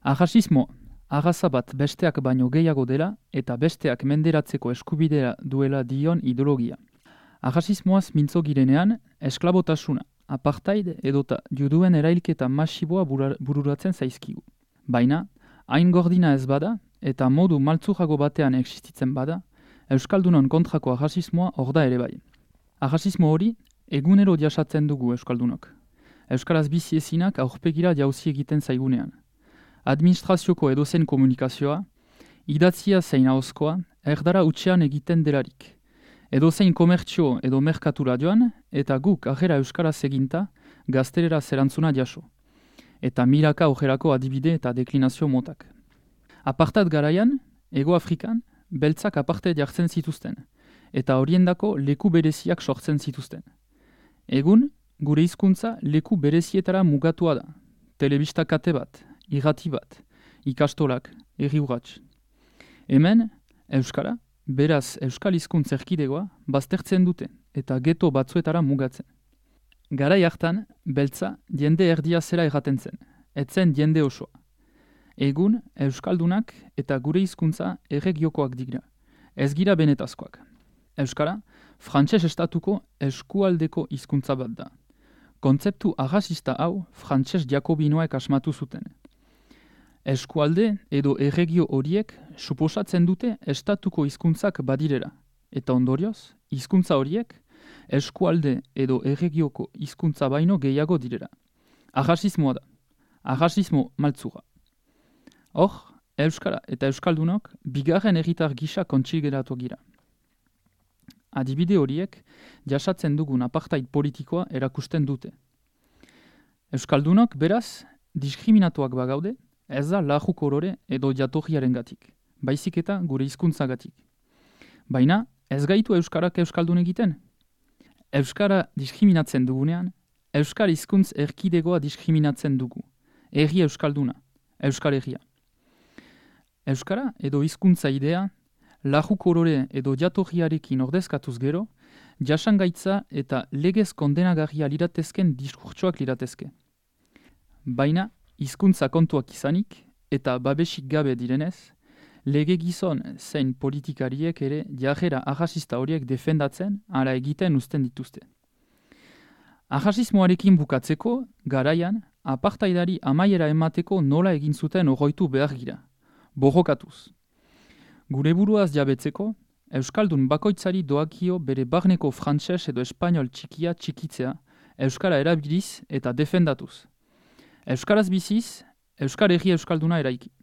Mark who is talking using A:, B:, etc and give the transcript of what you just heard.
A: Arrazismo, arraza bat besteak baino gehiago dela eta besteak menderatzeko eskubidea duela dion ideologia. Arrazismoaz mintzo girenean, esklabotasuna, apartheid edota juduen erailketa masiboa bururatzen zaizkigu. Baina, hain gordina ez bada eta modu maltzurago batean existitzen bada, Euskaldunon kontrako arrazismoa hor da ere bai. Arrazismo hori egunero jasatzen dugu Euskaldunok. Euskaraz bizi ezinak aurpegira jauzi egiten zaigunean. Administrazioko edozen komunikazioa, idatzia zein ahozkoa, erdara utxean egiten delarik. Edozein komertzio edo merkatura joan, eta guk ajera euskaraz eginta, gaztelera zerantzuna jaso. Eta milaka ojerako adibide eta deklinazio motak. Apartat garaian, Ego Afrikan, beltzak aparte jartzen zituzten, eta horiendako leku bereziak sortzen zituzten. Egun, gure hizkuntza leku berezietara mugatua da. Telebista kate bat, irrati bat, ikastolak, herri urrats. Hemen, euskara, beraz euskal hizkuntza erkidegoa, baztertzen dute eta geto batzuetara mugatzen. Garai hartan, beltza jende erdia zera erraten zen, etzen jende osoa. Egun, euskaldunak eta gure hizkuntza erregiokoak dira, ez gira benetazkoak. Euskara, frantses estatuko eskualdeko hizkuntza bat da. Kontzeptu arrazista hau frantses jakobinoek asmatu zuten. Eskualde edo erregio horiek suposatzen dute estatuko hizkuntzak badirera, eta ondorioz, hizkuntza horiek eskualde edo erregioko hizkuntza baino gehiago direra. Arrazismoa da, arrazismo maltzura. Hor, euskara eta euskaldunok bigarren herritar gisa kontsilgeratu gira. Adibide horiek jasatzen dugun apartheid politikoa erakusten dute. Euskaldunok beraz diskriminatuak bagaude, ez da lajuk orore edo jatorriarengatik, baizik eta gure hizkuntzagatik. Baina ez gaitu euskarak euskaldun egiten. Euskara diskriminatzen dugunean, euskal hizkuntz erkidegoa diskriminatzen dugu. Herri euskalduna, euskal herria. Euskara edo hizkuntza idea, lajuk orore edo jatorriarekin ordezkatuz gero, jasangaitza eta legez kondenagarria liratezken diskurtsoak liratezke. Baina, hizkuntza kontuak izanik eta babesik gabe direnez, lege gizon zein politikariek ere jarrera arrazista horiek defendatzen ala egiten uzten dituzte. Arrazismoarekin bukatzeko, garaian, apartheidari amaiera emateko nola egin zuten oroitu behar gira, borrokatuz. Gure buruaz jabetzeko, euskaldun bakoitzari doakio bere barneko frantses edo espainol txikia txikitzea, euskara erabiliz eta defendatuz. Euskaraz biziz, euskal herri euskalduna eraiki.